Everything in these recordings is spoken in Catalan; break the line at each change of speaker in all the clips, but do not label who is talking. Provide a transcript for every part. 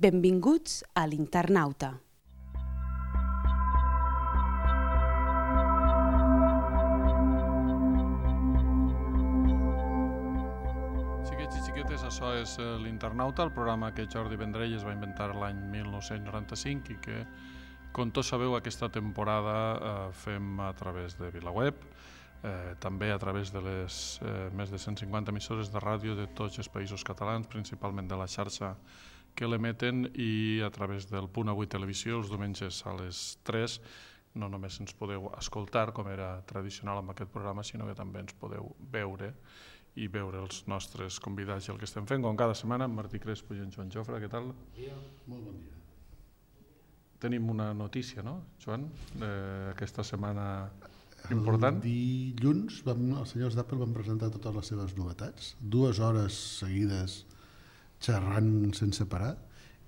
Benvinguts a l'Internauta.
Xiquets i xiquetes, això és l'Internauta, el programa que Jordi Vendrell es va inventar l'any 1995 i que, com tots sabeu, aquesta temporada fem a través de VilaWeb, també a través de les més de 150 emissores de ràdio de tots els països catalans, principalment de la xarxa que l'emeten, i a través del Punt Avui Televisió els diumenges a les 3. No només ens podeu escoltar, com era tradicional amb aquest programa, sinó que també ens podeu veure i veure els nostres convidats i el que estem fent, com cada setmana, amb Martí Crespo i en Joan Jofre. Què tal?
Bon dia. Molt bon dia.
Tenim una notícia, no, Joan, aquesta setmana important?
El dilluns els senyors d'Apple van presentar totes les seves novetats, 2 hores seguides xerrant sense parar,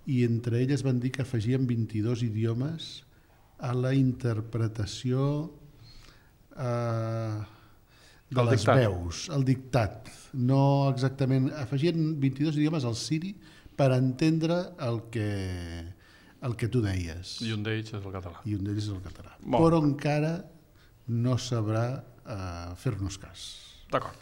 i entre elles van dir que afegien 22 idiomes a la interpretació de les veus, el dictat. No exactament, afegien 22 idiomes al Siri per entendre el que tu deies.
I un d'ells és el català.
I un d'ells és el català. Però encara no sabrà fer-nos cas.
D'acord.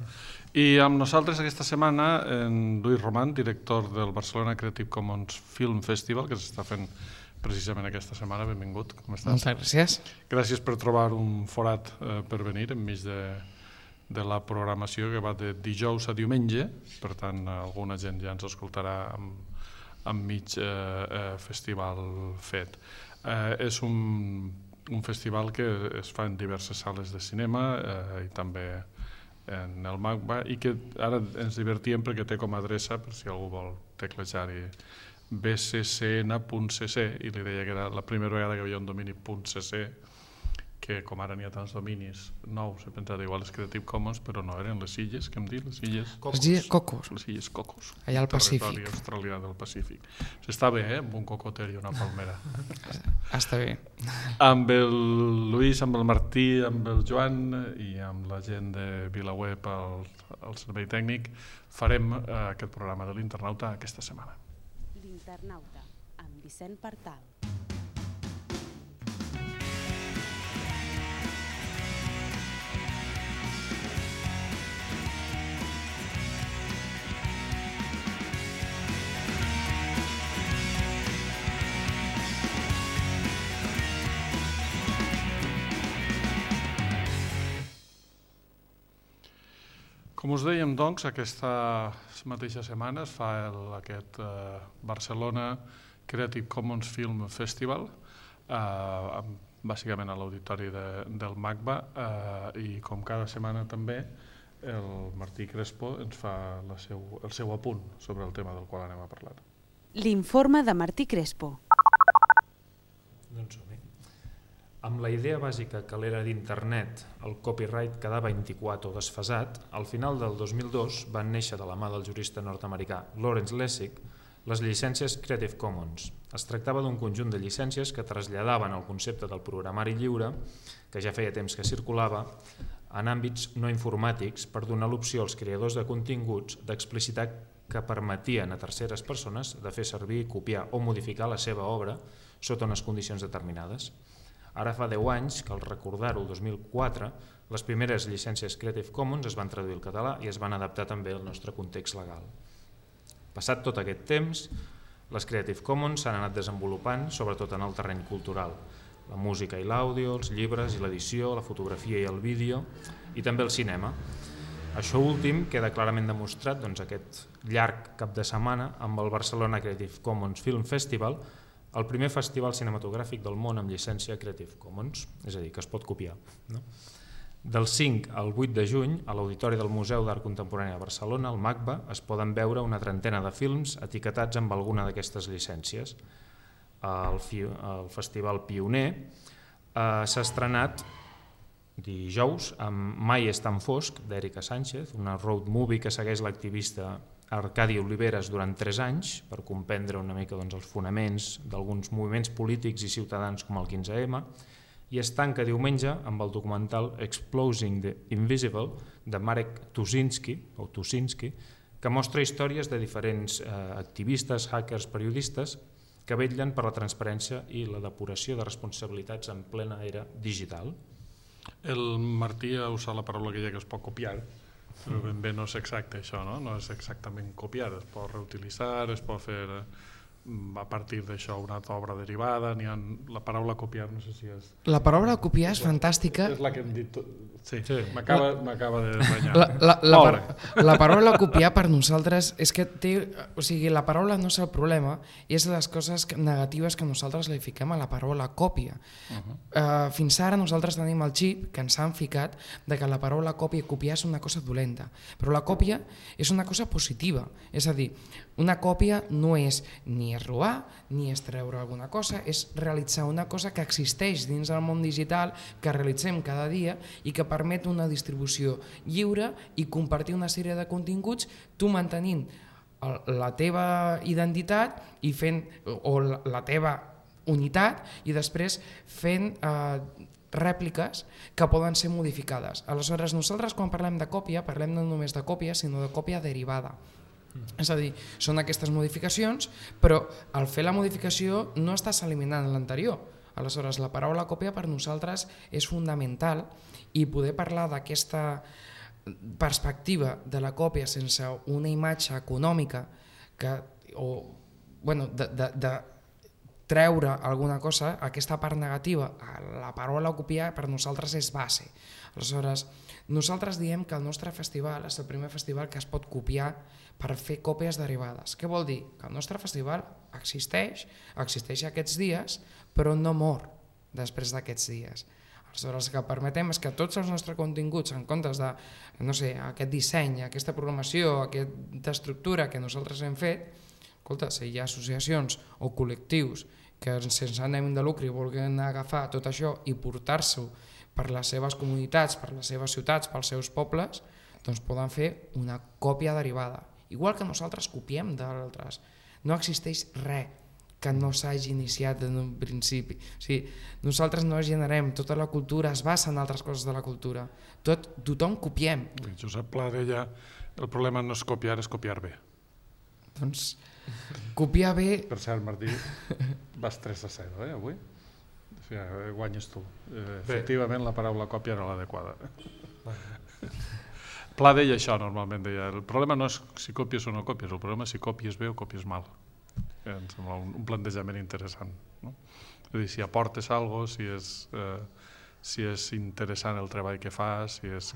I amb nosaltres aquesta setmana en Lluís Roman, director del Barcelona Creative Commons Film Festival, que s'està fent precisament aquesta setmana. Benvingut, com estàs?
Moltes gràcies.
Gràcies per trobar un forat per venir enmig de la programació que va de dijous a diumenge, per tant alguna gent ja ens escoltarà enmig festival fet. És un festival que es fa en diverses sales de cinema i també en el MACBA, i que ara ens divertíem perquè té com a adreça, per si algú vol teclejar-hi, bccn.cc, i li deia que era la primera vegada que hi havia un domini .cc, que com ara n'hi ha tants dominis nous, he pensat igual les Creative Commons, però no, eren les illes, que hem dit? Les illes
Cocos.
Les illes Cocos.
Allà al Pacífic.
Territori australià del Pacífic. S'està bé, amb un cocoter i una palmera.
Està bé.
Amb el Lluís, amb el Martí, amb el Joan i amb la gent de VilaWeb al servei tècnic farem aquest programa de l'Internauta aquesta setmana.
L'Internauta, amb Vicent Partal.
Com us dèiem, doncs, aquesta mateixa setmana es fa aquest Barcelona Creative Commons Film Festival, bàsicament a l'auditori del MACBA, i com cada setmana també el Martí Crespo ens fa el seu apunt sobre el tema del qual anem a parlar.
L'informe de Martí Crespo.
Doncs som-hi. Amb la idea bàsica que a l'era d'internet el copyright quedava antiquat o desfasat, al final del 2002 van néixer de la mà del jurista nord-americà Lawrence Lessig les llicències Creative Commons. Es tractava d'un conjunt de llicències que traslladaven el concepte del programari lliure, que ja feia temps que circulava, en àmbits no informàtics per donar l'opció als creadors de continguts d'explicitar que permetien a terceres persones de fer servir, copiar o modificar la seva obra sota unes condicions determinades. Ara fa 10 anys que, al recordar-ho, el 2004, les primeres llicències Creative Commons es van traduir al català i es van adaptar també al nostre context legal. Passat tot aquest temps, les Creative Commons s'han anat desenvolupant, sobretot en el terreny cultural. La música i l'àudio, els llibres i l'edició, la fotografia i el vídeo, i també el cinema. Això últim queda clarament demostrat aquest llarg cap de setmana amb el Barcelona Creative Commons Film Festival, el primer festival cinematogràfic del món amb llicència Creative Commons, és a dir, que es pot copiar. Del 5 al 8 de juny, a l'Auditori del Museu d'Art Contemporani de Barcelona, al MACBA, es poden veure una trentena de films etiquetats amb alguna d'aquestes llicències. El Festival Pioner s'ha estrenat dijous amb Mai és tan fosc, d'Èrica Sánchez, una road movie que segueix l'activista Arcadi Oliveres durant 3 anys per comprendre una mica els fonaments d'alguns moviments polítics i ciutadans com el 15M, i es tanca diumenge amb el documental Exposing the Invisible de Marek Tuszynski, que mostra històries de diferents activistes, hackers, periodistes que vetllen per la transparència i la depuració de responsabilitats en plena era digital.
El Martí ha usat la paraula que es pot copiar, però ben bé no és exacte això, no? No és exactament copiar, es pot reutilitzar, es pot fer a partir d'això una altra obra derivada, la paraula copiar no sé si és...
La paraula copiar és fantàstica.
És la que hem dit... Sí, m'acaba de renyar.
La paraula copiar per nosaltres és que té... O sigui, la paraula no és el problema, és les coses negatives que nosaltres li fiquem a la paraula còpia. Fins ara nosaltres tenim el xip que ens han ficat de que la paraula còpia i copiar és una cosa dolenta, però la còpia és una cosa positiva. És a dir, una còpia no és ni és robar, ni és treure alguna cosa, és realitzar una cosa que existeix dins del món digital, que realitzem cada dia i que permet una distribució lliure i compartir una sèrie de continguts, tu mantenint la teva identitat i fent, o la teva unitat, i després fent rèpliques que poden ser modificades. Aleshores, nosaltres quan parlem de còpia, parlem no només de còpia, sinó de còpia derivada. És a dir, són aquestes modificacions, però al fer la modificació no estàs eliminant l'anterior. Aleshores, la paraula còpia per nosaltres és fundamental i poder parlar d'aquesta perspectiva de la còpia sense una imatge econòmica de treure alguna cosa, aquesta part negativa, la paraula copiar per nosaltres és base. Aleshores, nosaltres diem que el nostre festival és el primer festival que es pot copiar per fer còpies derivades. Què vol dir? Que el nostre festival existeix aquests dies, però no mor després d'aquests dies. Aleshores, el que permetem és que tots els nostres continguts, en comptes de, no sé, aquest disseny, aquesta programació, aquesta estructura que nosaltres hem fet, escolta, si hi ha associacions o col·lectius que sense ànim de lucre vulguin agafar tot això i portar-s'ho per les seves comunitats, per les seves ciutats, pels seus pobles, doncs poden fer una còpia derivada. Igual que nosaltres copiem d'altres. No existeix res que no s'hagi iniciat en un principi. O sigui, nosaltres no generem, tota la cultura es basa en altres coses de la cultura. Tothom copiem.
Josep Pla deia, el problema no és copiar, és copiar bé.
Doncs copiar bé...
Per cert, Martí, vas 3-0, avui? O sigui, guanyes tu. Efectivament, la paraula còpia era l'adequada. Pla deia això normalment, deia, el problema no és si copies o no copies, el problema és si copies bé o copies mal. Em sembla un plantejament interessant. No? És a dir, si aportes alguna cosa, si és interessant el treball que fas, si és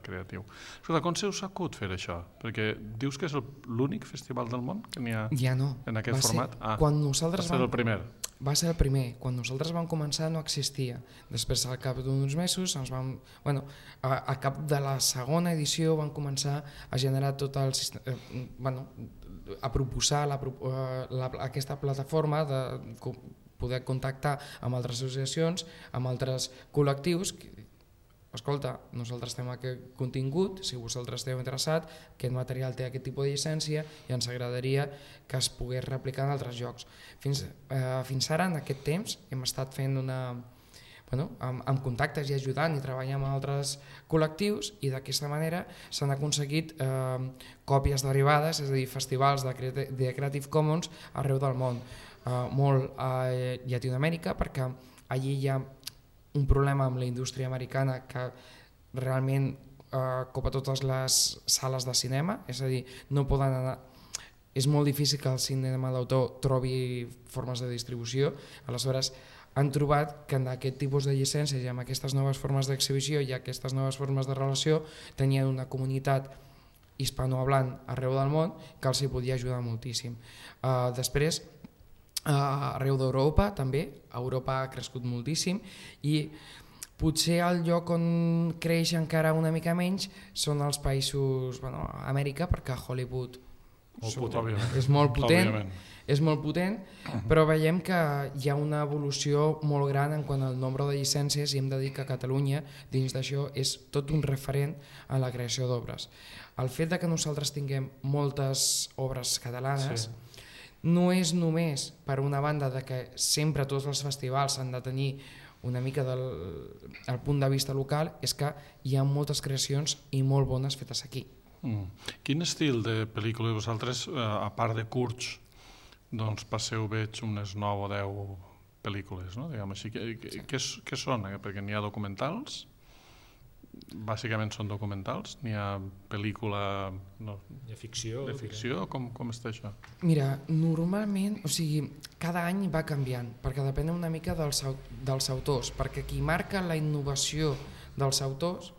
creatiu. Escolta, com se us acut fer això? Perquè dius que és l'únic festival del món que n'hi ha en aquest format?
Quan nosaltres
va ser el primer.
Va ser el primer. Quan nosaltres vam començar no existia. Després, al cap d'uns mesos, a cap de la segona edició van començar a generar tot el sistema, a proposar aquesta plataforma de poder contactar amb altres associacions, amb altres col·lectius. Escolta, nosaltres tenim aquest contingut, si vosaltres esteu interessat, aquest material té aquest tipus de llicència i ens agradaria que es pogués replicar en altres llocs. Fins ara, en aquest temps, hem estat fent amb contactes i ajudant i treballant amb altres col·lectius i d'aquesta manera s'han aconseguit còpies derivades, és a dir, festivals de Creative Commons arreu del món. Molt a Llatinoamèrica, perquè allí hi ha un problema amb la indústria americana que realment copa totes les sales de cinema, és a dir, no poden anar... És molt difícil que el cinema d'autor trobi formes de distribució, aleshores han trobat que en aquest tipus de llicències i amb aquestes noves formes d'exhibició i aquestes noves formes de relació tenien una comunitat hispanohablant arreu del món que els hi podia ajudar moltíssim. Després, arreu d'Europa també, Europa ha crescut moltíssim i potser el lloc on creix encara una mica menys són els països, Amèrica, perquè Hollywood és molt potent, però veiem que hi ha una evolució molt gran en quant al nombre de llicències i hem de dir que Catalunya dins d'això és tot un referent en la creació d'obres. El fet que nosaltres tinguem moltes obres catalanes no és només per una banda de que sempre tots els festivals han de tenir una mica del punt de vista local, és que hi ha moltes creacions i molt bones fetes aquí.
Quin estil de pel·lícula vosaltres, a part de curts, doncs passeu, veig, unes 9 o 10 pel·lícules, no? Diguem així. Què són? Perquè n'hi ha documentals, bàsicament són documentals, n'hi ha pel·lícula
Hi ha ficció.
de ficció, com està això?
Mira, normalment, o sigui, cada any va canviant, perquè depèn una mica dels autors, perquè qui marca la innovació dels autors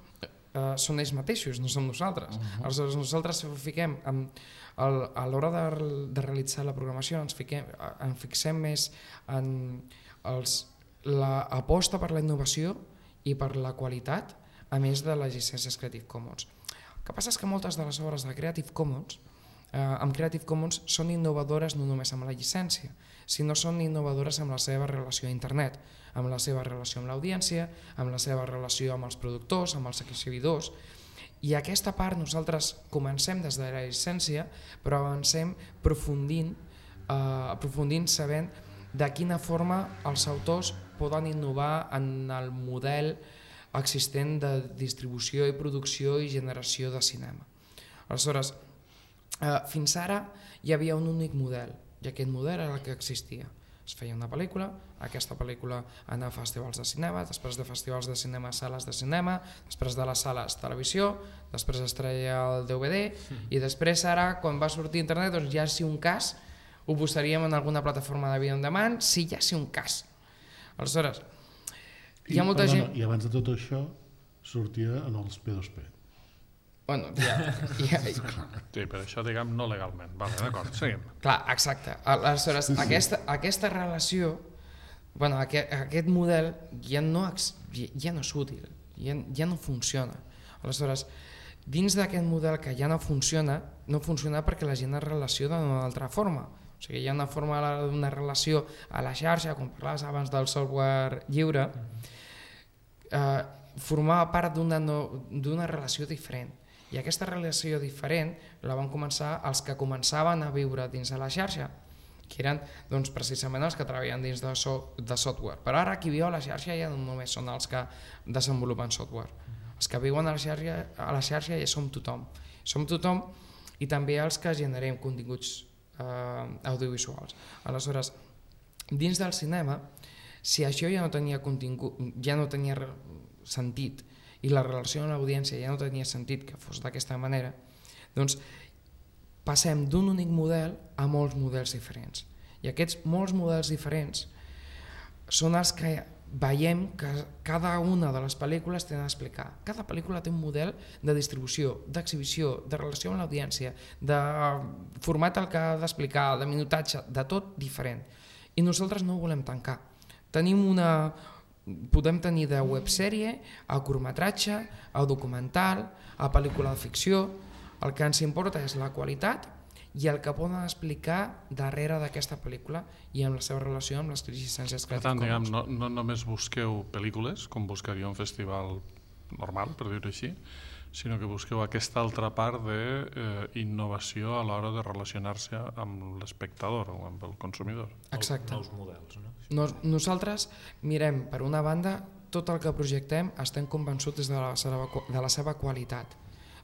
són ells mateixos, no som nosaltres. Aleshores, nosaltres fiquem a l'hora de realitzar la programació ens fixem més en l'aposta per la innovació i per la qualitat, a més de les llicències Creative Commons. El que passa és que moltes de les obres de Creative Commons amb Creative Commons són innovadores no només amb la llicència, sinó són innovadores amb la seva relació a internet, amb la seva relació amb l'audiència, amb la seva relació amb els productors, amb els exhibidors. I aquesta part nosaltres comencem des de la llicència, però avancem aprofundint sabent de quina forma els autors poden innovar en el model existent de distribució i producció i generació de cinema. Aleshores, fins ara hi havia un únic model, i aquest model era el que existia. Es feia una pel·lícula, aquesta pel·lícula anava a festivals de cinema, després de festivals de cinema a sales de cinema, després de les sales televisió, després es treia el DVD i després ara, quan va sortir internet, doncs ja si un cas ho posaríem en alguna plataforma de vídeo on demand, sí, ja si un cas. Aleshores, hi ha molta gent...
I abans de tot això sortia en els P2P.
Bueno,
Sí, per això diguem no legalment. Vale, d'acord, seguim.
Clar, exacte. Aleshores, aquesta relació, bueno, aquest model ja no és útil, ja no funciona. Aleshores, dins d'aquest model que ja no funciona perquè la gent es relaciona d'una altra forma. O sigui, hi ha una forma d'una relació a la xarxa, com parlaves abans del software lliure, formava part d'una relació diferent. I aquesta relació diferent la van començar els que començaven a viure dins de la xarxa, que eren doncs, precisament els que treballen dins de software. Però ara qui viu a la xarxa ja no només són els que desenvolupen software. Els que viuen a la xarxa ja som tothom. Som tothom i també els que generem continguts audiovisuals. Aleshores, dins del cinema, si això ja no tenia contingut, ja no tenia sentit, i la relació amb l'audiència ja no tenia sentit que fos d'aquesta manera, doncs passem d'un únic model a molts models diferents. I aquests molts models diferents són els que veiem que cada una de les pel·lícules tenen a explicar. Cada pel·lícula té un model de distribució, d'exhibició, de relació amb l'audiència, de format al que ha d'explicar, de minutatge, de tot diferent. I nosaltres no ho volem tancar. Podem tenir de websèrie a curtmetratge, a documental, a pel·lícula de ficció. El que ens importa és la qualitat i el que poden explicar darrere d'aquesta pel·lícula i amb la seva relació amb les llicències Creative Commons.
Per tant, no només busqueu pel·lícules, com buscaria un festival normal, per dir-ho així, sinó que busqueu aquesta altra part d'innovació a l'hora de relacionar-se amb l'espectador o amb el consumidor.
Exacte.
Nous models, no?
Nosaltres mirem, per una banda, tot el que projectem estem convençuts de la seva qualitat,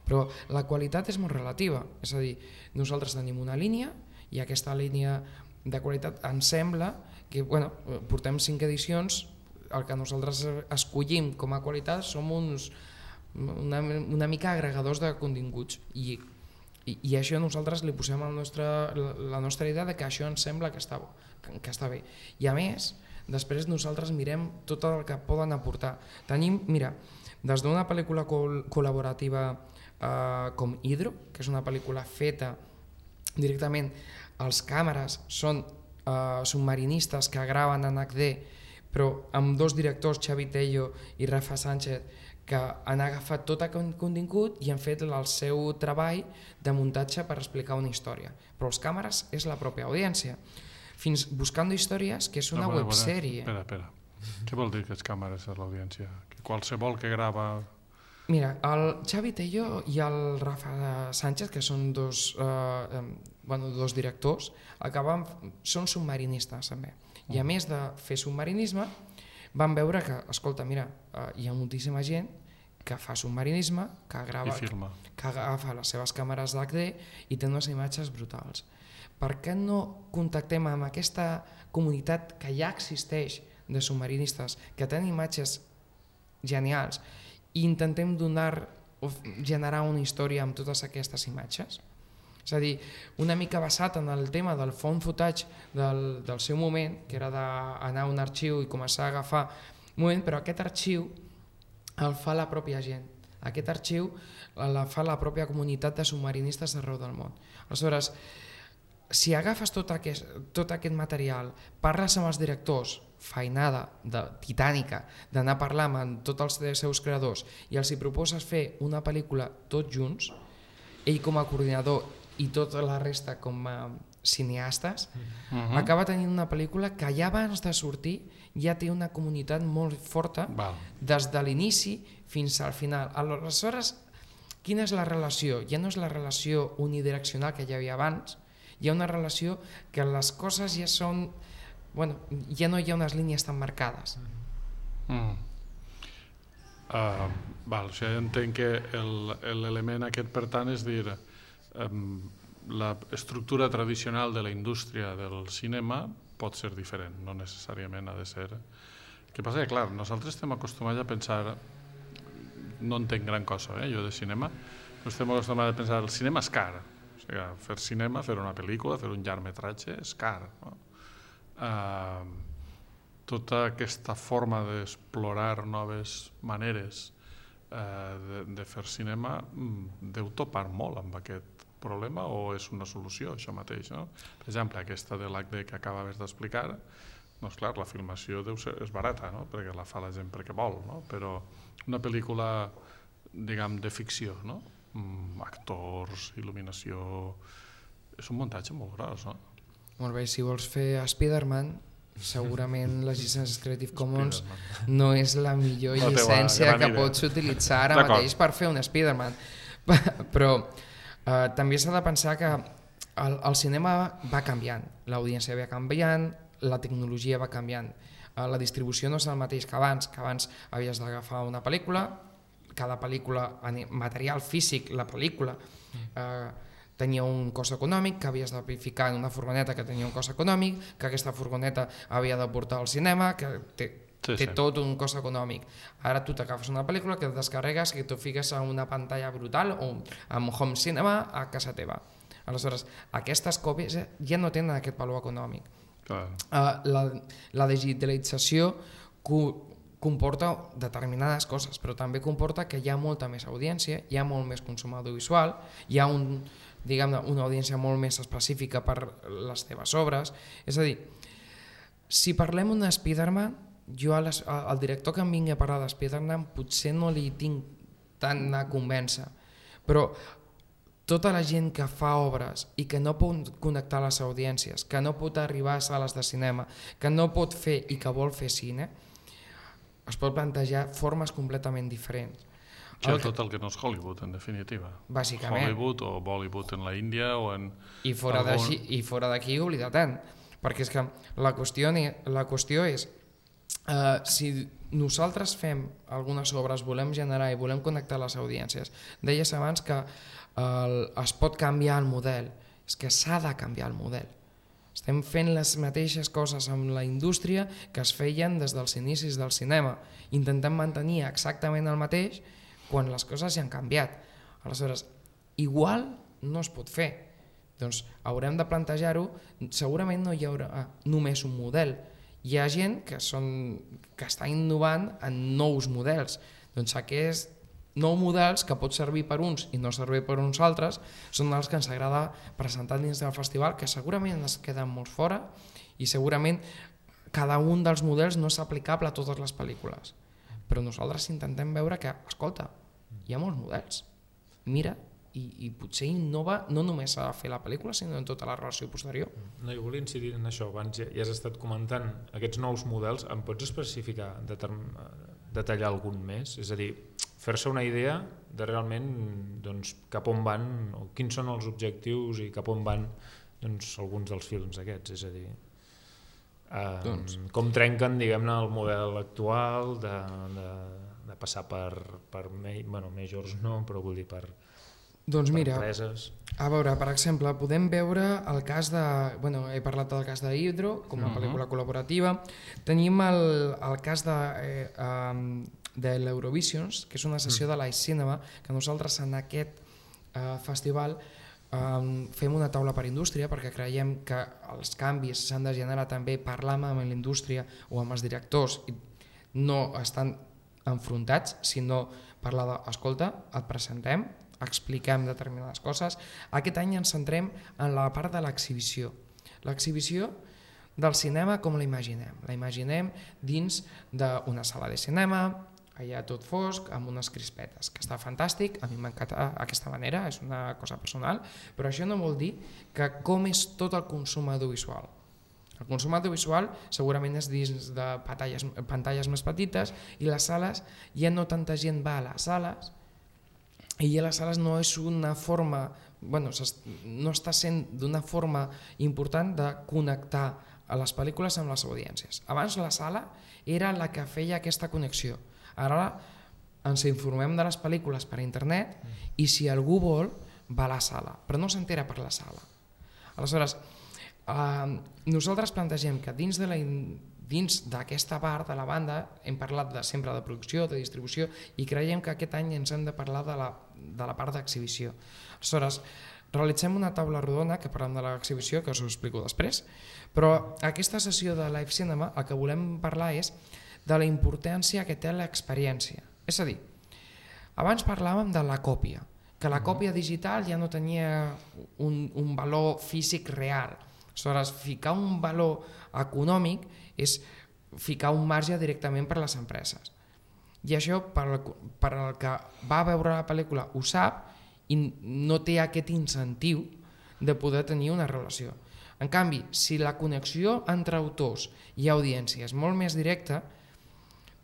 però la qualitat és molt relativa, és a dir, nosaltres tenim una línia i aquesta línia de qualitat ens sembla que, portem 5 edicions, el que nosaltres escollim com a qualitat som una mica agregadors de continguts i això nosaltres li posem la nostra idea de que això ens sembla que està bé. I a més, després nosaltres mirem tot el que poden aportar. Tenim, mira, des d'una pel·lícula col·laborativa com Hydro, que és una pel·lícula feta directament, els càmeres són submarinistes que graven en HD, però amb 2 directors, Xavi Tello i Rafa Sánchez, que han agafat tot aquest contingut i han fet el seu treball de muntatge per explicar una història. Però els càmeres és la pròpia audiència. Fins Buscando Històries, que és una websèrie.
Espera. Què vol dir que els càmeres és l'audiència? Que qualsevol que grava...
Mira, el Xavi Tello i el Rafa Sánchez, que són dos directors, són submarinistes també. I a més de fer submarinisme, van veure que, escolta, mira, hi ha moltíssima gent que fa submarinisme, que grava, que agafa les seves càmeres d'HD i té unes imatges brutals. per què no contactem amb aquesta comunitat que ja existeix de submarinistes, que tenen imatges genials, i intentem donar o generar una història amb totes aquestes imatges? És a dir, una mica basat en el tema del found footage del seu moment, que era d'anar a un arxiu i començar a agafar un moment, però aquest arxiu el fa la pròpia gent. Aquest arxiu el fa la pròpia comunitat de submarinistes d'arreu del món. Aleshores, si agafes tot aquest material, parles amb els directors, feinada titànica, d'anar a parlar amb tots els seus creadors i els hi proposes fer una pel·lícula tots junts, ell com a coordinador i tota la resta com a cineastes, acaba tenint una pel·lícula que ja abans de sortir ja té una comunitat molt forta des de l'inici fins al final. Aleshores, quina és la relació? Ja no és la relació unidireccional que hi havia abans, hi ha una relació que les coses ja són... Bueno, ja no hi ha unes línies tan marcades.
O sigui, entenc que l'element aquest, per tant, és dir, l'estructura tradicional de la indústria del cinema pot ser diferent, no necessàriament ha de ser. El que passa que, clar, nosaltres estem acostumats a pensar, no entenc gran cosa, jo de cinema, però estem acostumats a pensar el cinema és car. O sigui, fer cinema, fer una pel·lícula, fer un llargmetratge és car. Tota aquesta forma d'explorar noves maneres de fer cinema deu topar molt amb aquest problema o és una solució això mateix, no? Per exemple, aquesta de l'HD que acabaves d'explicar, doncs clar, la filmació és barata, no? Perquè la fa la gent perquè vol, no? Però una pel·lícula, diguem, de ficció, no? Actors, il·luminació, és un muntatge molt gros, no?
Molt bé, si vols fer Spider-Man, segurament les llicències Creative Commons no és la millor llicència que pots utilitzar ara mateix per fer un Spider-Man, però també s'ha de pensar que el cinema va canviant, l'audiència va canviant, la tecnologia va canviant, la distribució no és el mateix que abans havies d'agafar una pel·lícula, cada pel·lícula, material físic, la pel·lícula tenia un cost econòmic, que havies de ficar en una furgoneta que tenia un cost econòmic, que aquesta furgoneta havia de portar al cinema, que té tot un cost econòmic. Ara tu t'agafes una pel·lícula que et descarregues i t'ho fiques a una pantalla brutal o amb home cinema a casa teva. Aleshores, aquestes còpies ja no tenen aquest valor econòmic. La digitalització comporta determinades coses, però també comporta que hi ha molta més audiència, hi ha molt més consum audiovisual, hi ha una audiència molt més específica per les teves obres. És a dir, si parlem d'un Spider-Man, jo al director que em vingui a parlar de Spider-Man potser no li tinc tant a convèncer, però tota la gent que fa obres i que no pot connectar les audiències, que no pot arribar a sales de cinema, que no pot fer i que vol fer cine, es pot plantejar formes completament diferents.
Tot el que no és Hollywood, en definitiva.
Bàsicament.
Hollywood o Bollywood en la Índia o en...
I fora d'aquí oblidar tant, perquè és que la qüestió és si nosaltres fem algunes obres, volem generar i volem connectar les audiències, deies abans que es pot canviar el model, és que s'ha de canviar el model. Estem fent les mateixes coses amb la indústria que es feien des dels inicis del cinema, intentem mantenir exactament el mateix quan les coses ja han canviat. Aleshores, igual no es pot fer, doncs haurem de plantejar-ho, segurament no hi haurà només un model, hi ha gent que està innovant en nous models, doncs aquests nous models que pot servir per uns i no servir per uns altres són els que ens agrada presentar dins del festival, que segurament es queden molt fora i segurament cada un dels models no és aplicable a totes les pel·lícules, però nosaltres intentem veure que, escolta, hi ha molts models, mira, i potser innova no només a fer la pel·lícula sinó en tota la relació posterior.
No, jo volia incidir en això, abans ja has estat comentant aquests nous models, em pots especificar, detallar algun més? És a dir, fer-se una idea de realment cap on van, o quins són els objectius i cap on van alguns dels films aquests, és a dir, com trenquen, diguem-ne, el model actual de passar per majors no, però vull dir per
Doncs mira,
empreses?
a veure, per exemple, podem veure el cas de... Bueno, he parlat del cas d'Hydro, com a pel·lícula col·laborativa. Tenim el cas de l'Eurovisions, que és una sessió de Live Cinema, que nosaltres en aquest festival fem una taula per indústria, perquè creiem que els canvis s'han de generar també parlant amb la indústria o amb els directors, i no estan enfrontats, sinó parlar de, escolta, et presentem, expliquem determinades coses. Aquest any ens centrem en la part de l'exhibició. L'exhibició del cinema com la imaginem. La imaginem dins d'una sala de cinema, allà tot fosc, amb unes crispetes, que està fantàstic, a mi m'encanta aquesta manera, és una cosa personal, però això no vol dir que com és tot el consum audiovisual. El consum audiovisual segurament és dins de pantalles més petites, i les sales, ja no tanta gent va a les sales, i a les sales no és una forma, bueno, no està sent d'una forma important de connectar a les pel·lícules amb les audiències. Abans la sala era la que feia aquesta connexió. Ara ens informem de les pel·lícules per internet i si algú vol va a la sala, però no s'entera per la sala. Aleshores, nosaltres plantegem que dins d'aquesta part de la banda hem parlat sempre de producció, de distribució, i creiem que aquest any ens hem de parlar de la part d'exhibició. Aleshores, realitzem una taula rodona que parlem de l'exhibició, que us ho explico després, però aquesta sessió de Live Cinema el que volem parlar és de la importància que té l'experiència. És a dir, abans parlàvem de la còpia, que la còpia digital ja no tenia un valor físic real. Aleshores, ficar un valor econòmic és ficar un marge directament per a les empreses. I això, per al que va veure la pel·lícula, ho sap i no té aquest incentiu de poder tenir una relació. En canvi, si la connexió entre autors i audiència és molt més directa,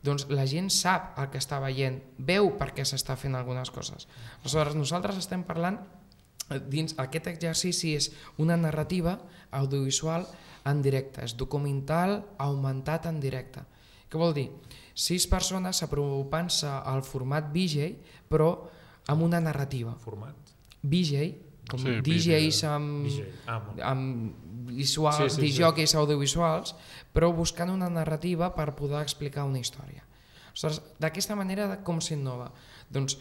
doncs la gent sap el que està veient, veu per què s'està fent algunes coses. Aleshores, nosaltres estem parlant dins aquest exercici, és una narrativa audiovisual en directe, és documental augmentat en directe. Què vol dir? 6 persones apropant-se al format VJ, però amb una narrativa.
Format?
VJ, com
sí,
DJs amb visuals, DJs audiovisuals, però buscant una narrativa per poder explicar una història. Aleshores, d'aquesta manera, com s'innova? Doncs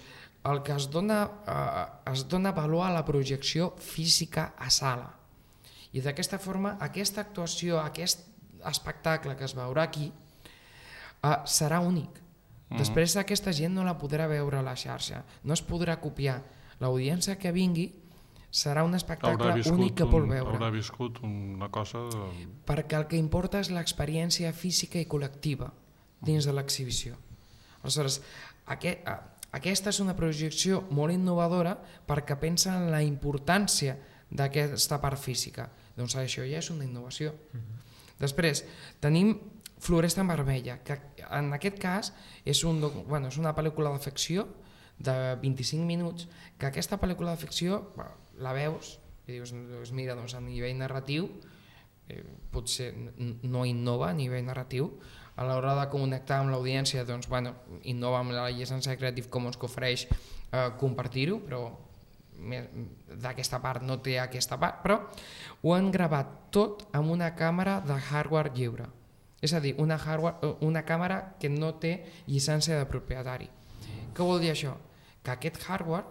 el que es dona valor a la projecció física a sala. I d'aquesta forma, aquesta actuació, aquest espectacle que es veurà aquí, serà únic. Després aquesta gent no la podrà veure a la xarxa, no es podrà copiar. L'audiència que vingui serà un espectacle únic que vol veure.
Haurà viscut una cosa...
Perquè el que importa és l'experiència física i col·lectiva dins de l'exhibició. Aleshores, aquesta és una projecció molt innovadora perquè pensa en la importància d'aquesta part física. Doncs això ja és una innovació. Després, tenim Floresta en vermella, que en aquest cas és una pel·lícula de ficció de 25 minuts, que aquesta pel·lícula de ficció la veus i dius, mira, doncs a nivell narratiu potser no innova a nivell narratiu, a l'hora de connectar amb l'audiència, doncs, innova amb la llicència Creative Commons que ofereix compartir-ho, però d'aquesta part no té aquesta part, però ho han gravat tot amb una càmera de hardware lliure. És a dir, una càmera que no té llicència de propietari. Què vol dir això? Que aquest hardware,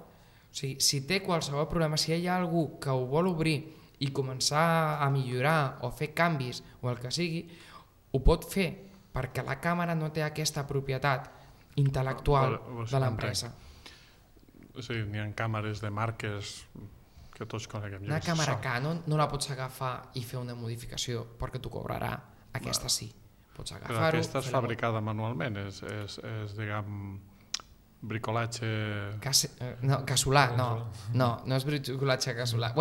si té qualsevol problema, si hi ha algú que ho vol obrir i començar a millorar o fer canvis o el que sigui, ho pot fer perquè la càmera no té aquesta propietat intel·lectual de l'empresa.
Sí, n'hi ha càmeres de marques que tots coneguem.
Una càmera Canon no la pots agafar i fer una modificació perquè t'ho cobrarà. Aquesta sí, pots agafar-ho...
Però aquesta és fabricada manualment, és diguem, bricolatge...
No, casolà, no és bricolatge casolà.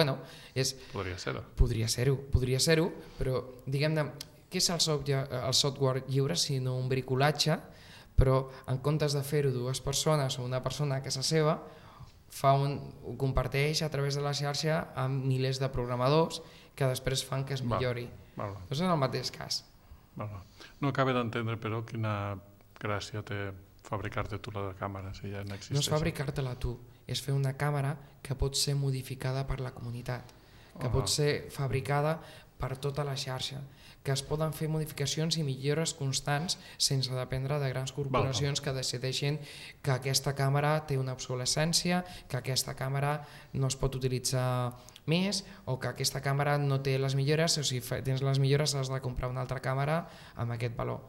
Podria ser-ho, però diguem-ne, què és el software lliure sinó un bricolatge, però en comptes de fer-ho 2 persones o una persona a casa seva, ho comparteix a través de la xarxa amb milers de programadors que després fan que es millori. És en el mateix cas.
No acaba d'entendre, però, quina gràcia té fabricar-te tu la càmera, si ja n'existeix.
No és fabricar-te-la tu, és fer una càmera que pot ser modificada per la comunitat, que pot ser fabricada per tota la xarxa, que es poden fer modificacions i millores constants sense dependre de grans corporacions que decideixin que aquesta càmera té una obsolescència, que aquesta càmera no es pot utilitzar més o que aquesta càmera no té les millores, o si tens les millores has de comprar una altra càmera amb aquest valor.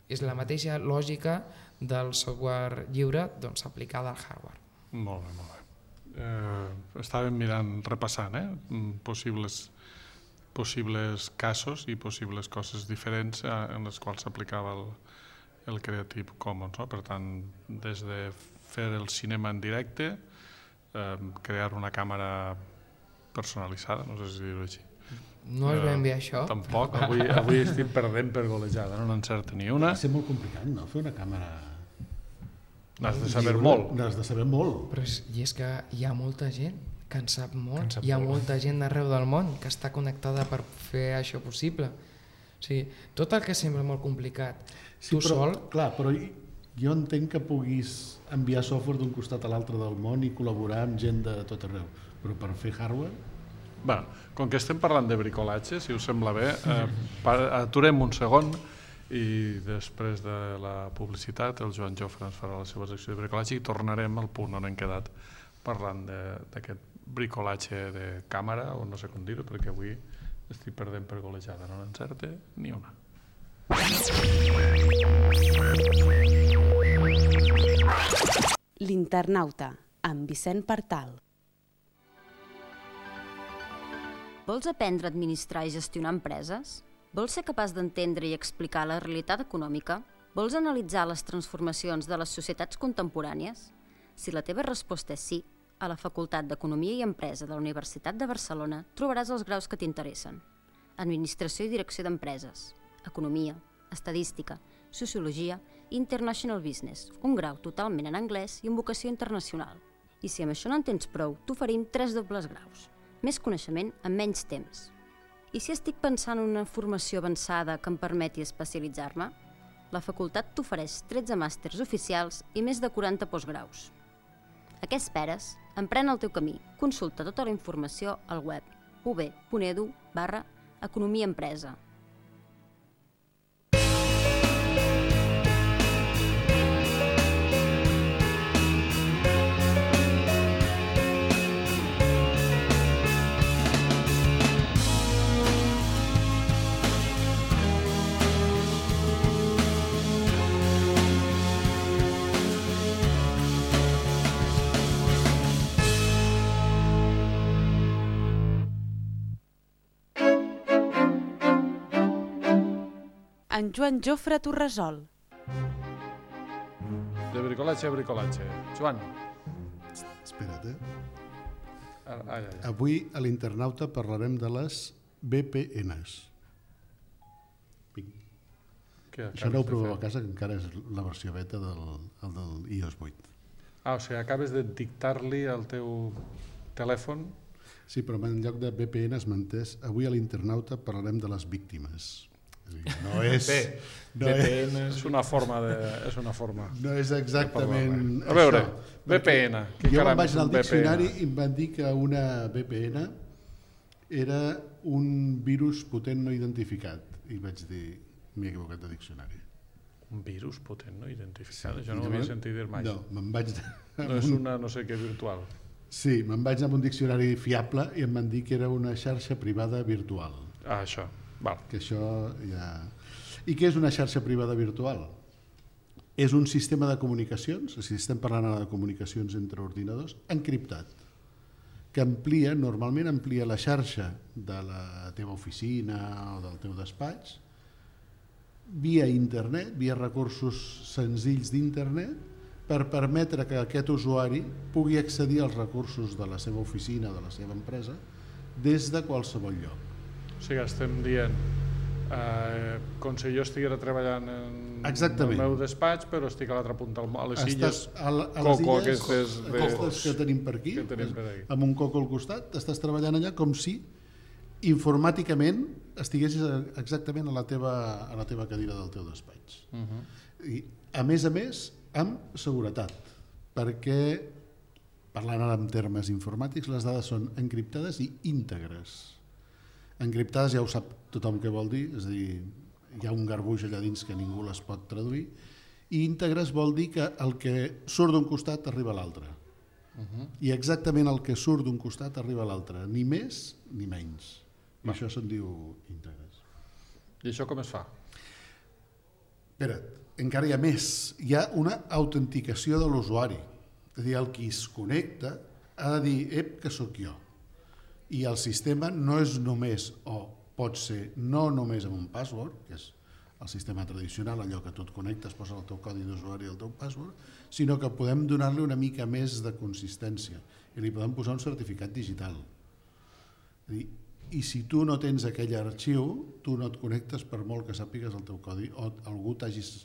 És la mateixa lògica del software lliure aplicada al hardware.
Molt bé, molt bé. Estàvem mirant, repassant possibles casos i possibles coses diferents en les quals s'aplicava el Creative Commons. Per tant, des de fer el cinema en directe, crear una càmera personalitzada, no sé si dir-ho així.
No és ben bé això.
Tampoc, avui estic perdent per golejada, no n'encerta ni una.
Va ser molt complicat, no? Fer una càmera...
N'has de saber molt.
N'has de saber molt.
Però és que hi ha molta gent que en sap molt, hi ha molta gent d'arreu del món que està connectada per fer això possible. O sigui, tot el que sembla molt complicat, tu sol...
Clar, però jo entenc que puguis enviar software d'un costat a l'altre del món i col·laborar amb gent de tot arreu, però per fer hardware...
Bé, com que estem parlant de bricolatge, si us sembla bé, aturem un segon i després de la publicitat el Joan Jofre ens farà la seva secció de bricolatge i tornarem al punt on hem quedat parlant d'aquest bricolatge de càmera, o no sé com dir-ho, perquè avui estic perdent per golejada, no n'encerte ni una.
L'Internauta, amb Vicent Partal.
Vols aprendre a administrar i gestionar empreses? Vols ser capaç d'entendre i explicar la realitat econòmica? Vols analitzar les transformacions de les societats contemporànies? Si la teva resposta és sí, a la Facultat d'Economia i Empresa de la Universitat de Barcelona trobaràs els graus que t'interessen. Administració i Direcció d'Empreses, Economia, Estadística, Sociologia i International Business, un grau totalment en anglès i amb vocació internacional. I si amb això no en tens prou, t'oferim 3 dobles graus. Més coneixement en menys temps. I si estic pensant en una formació avançada que em permeti especialitzar-me? La facultat t'ofereix 13 màsters oficials i més de 40 postgraus. A què esperes? Emprèn el teu camí. Consulta tota la informació al web ub.edu/economia-empresa.
En Joan Jofre t'ho resol.
De bricolatge a bricolatge. Joan.
Espera't,
Ai.
Avui a l'Internauta parlarem de les VPNs. Això no ho proveu a casa, que encara és la versió beta del iOS 8.
O sigui, acabes de dictar-li al teu telèfon.
Sí, però en lloc de VPNs m'entès, avui a l'Internauta parlarem de les víctimes. No és...
és una forma de...
No és exactament
això. A veure, VPN.
Jo me'n vaig anar al diccionari i em van dir que una VPN era un virus potent no identificat. I vaig dir, m'he equivocat de diccionari.
Un virus potent no identificat? Això no ho havia sentit dir mai.
No, me'n vaig...
No és una no sé què virtual.
Sí, me'n vaig anar amb un diccionari fiable i em van dir que era una xarxa privada virtual.
Això. Val.
Que això ja... I què és una xarxa privada virtual? És un sistema de comunicacions, si estem parlant ara de comunicacions entre ordinadors, encriptat, que normalment amplia la xarxa de la teva oficina o del teu despatx via internet, via recursos senzills d'internet, per permetre que aquest usuari pugui accedir als recursos de la seva oficina o de la seva empresa des de qualsevol lloc.
O sigui, estem dient com si jo estiguera treballant en el meu despatx, però estic a l'altra punta, a les illes Coco, aquestes
que tenim per aquí, amb un coco al costat, estàs treballant allà com si informàticament estiguessis exactament a la teva cadira del teu despatx. I a més, amb seguretat, perquè, parlant ara en termes informàtics, les dades són encriptades i íntegres. Encriptades ja ho sap tothom què vol dir, és a dir, hi ha un garbuix allà dins que ningú les pot traduir, i íntegres vol dir que el que surt d'un costat arriba a l'altre. I exactament el que surt d'un costat arriba a l'altre, ni més ni menys. I això se'n diu íntegres.
I això com es fa?
Espera't, encara hi ha més. Hi ha una autenticació de l'usuari. És a dir, el qui es connecta ha de dir, que sóc jo. I el sistema no és només, o pot ser no només amb un password, que és el sistema tradicional, allò que tu et connectes, poses el teu codi d'usuari i el teu password, sinó que podem donar-li una mica més de consistència i li podem posar un certificat digital. I si tu no tens aquell arxiu, tu no et connectes per molt que sàpigues el teu codi o algú t'hagis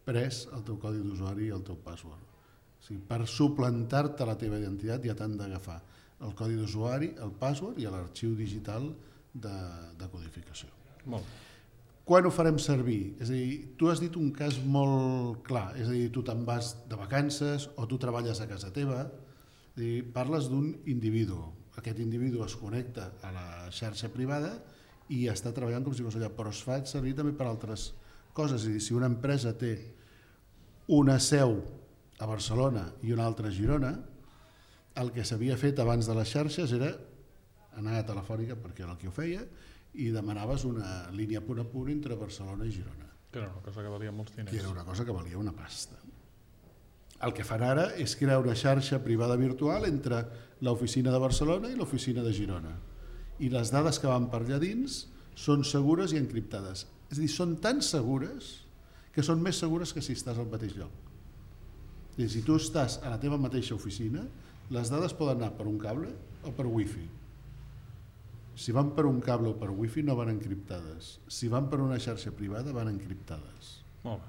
pres el teu codi d'usuari i el teu password. O sigui, per suplantar-te la teva identitat ja t'han d'agafar el codi d'usuari, el password i l'arxiu digital de codificació.
Molt bé.
Quan ho farem servir? És a dir, tu has dit un cas molt clar, és a dir, tu te'n vas de vacances o tu treballes a casa teva, és a dir, parles d'un individu, aquest individu es connecta a la xarxa privada i està treballant com si fos allà, però es fa servir també per altres coses, és a dir, si una empresa té una seu a Barcelona i una altra a Girona, el que s'havia fet abans de les xarxes era anar a Telefònica, perquè era el que ho feia, i demanaves una línia punt a punt entre Barcelona i Girona.
Que era una cosa que valia molts diners.
Que era una cosa que valia una pasta. El que fan ara és crear una xarxa privada virtual entre l'oficina de Barcelona i l'oficina de Girona. I les dades que van per allà dins són segures i encriptades. És a dir, són tan segures que són més segures que si estàs al mateix lloc. És a dir, si tu estàs a la teva mateixa oficina, les dades poden anar per un cable o per wifi. Si van per un cable o per wifi no van encriptades. Si van per una xarxa privada van encriptades.
Molt bé.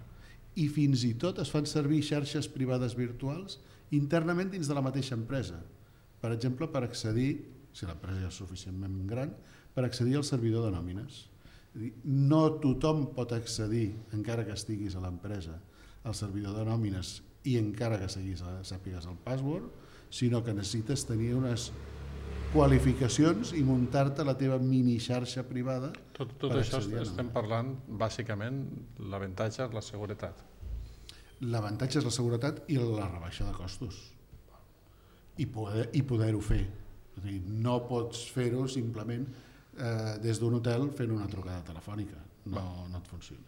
I fins i tot es fan servir xarxes privades virtuals internament dins de la mateixa empresa. Per exemple, per accedir, si l'empresa ja és suficientment gran, per accedir al servidor de nòmines. No tothom pot accedir, encara que estiguis a l'empresa, al servidor de nòmines i encara que sàpigues el password, sinó que necessites tenir unes qualificacions i muntar-te la teva mini xarxa privada.
Tot això estem parlant, bàsicament, l'avantatge és la seguretat.
L'avantatge és la seguretat i la rebaixa de costos. I poder-ho fer. És a dir, no pots fer-ho simplement des d'un hotel fent una trucada telefònica. No et funciona.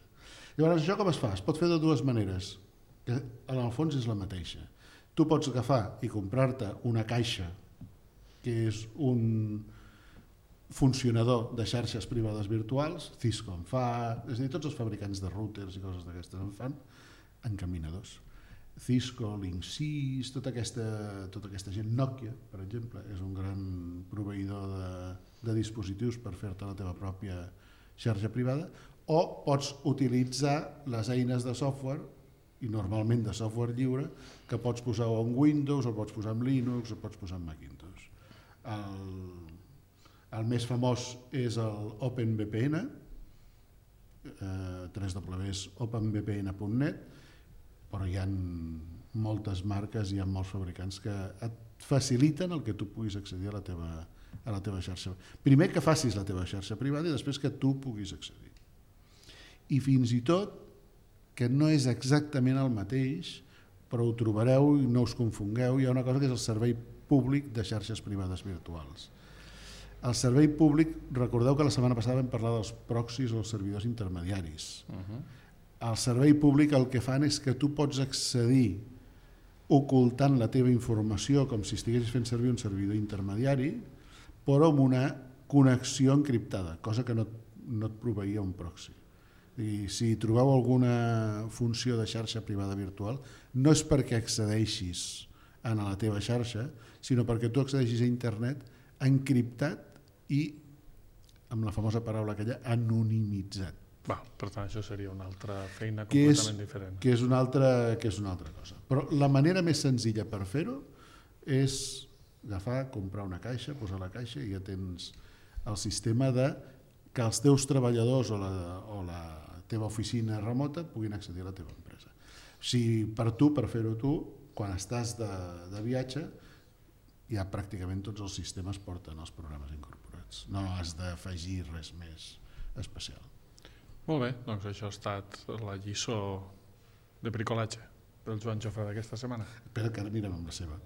Llavors, això com es fa? Es pot fer de dues maneres, que en el fons és la mateixa. Tu pots agafar i comprar-te una caixa que és un funcionador de xarxes privades virtuals, Cisco en fa, és a dir, tots els fabricants de routers i coses d'aquestes en fan, encaminadors. Cisco, Linksys, tota aquesta gent, Nokia, per exemple, és un gran proveïdor de dispositius per fer-te la teva pròpia xarxa privada, o pots utilitzar les eines de software, i normalment de software lliure, que pots posar en Windows, o pots posar en Linux, o pots posar en Macintosh. El més famós és el OpenVPN, www.openvpn.net, però hi ha moltes marques, hi ha molts fabricants que et faciliten el que tu puguis accedir a la teva xarxa. Primer que facis la teva xarxa privada i després que tu puguis accedir. I fins i tot, que no és exactament el mateix, però ho trobareu i no us confongueu, hi ha una cosa que és el servei públic de xarxes privades virtuals. El servei públic, recordeu que la setmana passada vam parlar dels proxys o els servidors intermediaris. El servei públic el que fan és que tu pots accedir ocultant la teva informació com si estiguessis fent servir un servidor intermediari, però amb una connexió encriptada, cosa que no et proveïa un proxy. I si trobeu alguna funció de xarxa privada virtual, no és perquè accedeixis a la teva xarxa, sinó perquè tu accedeixis a internet encriptat i, amb la famosa paraula aquella, anonimitzat.
Per tant, això seria una altra feina completament diferent.
Que és una altra cosa. Però la manera més senzilla per fer-ho és agafar, comprar una caixa, posar la caixa i ja tens el sistema de que els teus treballadors o la teva oficina remota puguin accedir a la teva empresa. Si per tu, per fer-ho tu, quan estàs de viatge, ja pràcticament tots els sistemes porten els programes incorporats. No has d'afegir res més especial.
Molt bé, doncs això ha estat la lliçó de bricolatge del Joan Jofre d'aquesta setmana.
Espera que ara mirem amb la seva.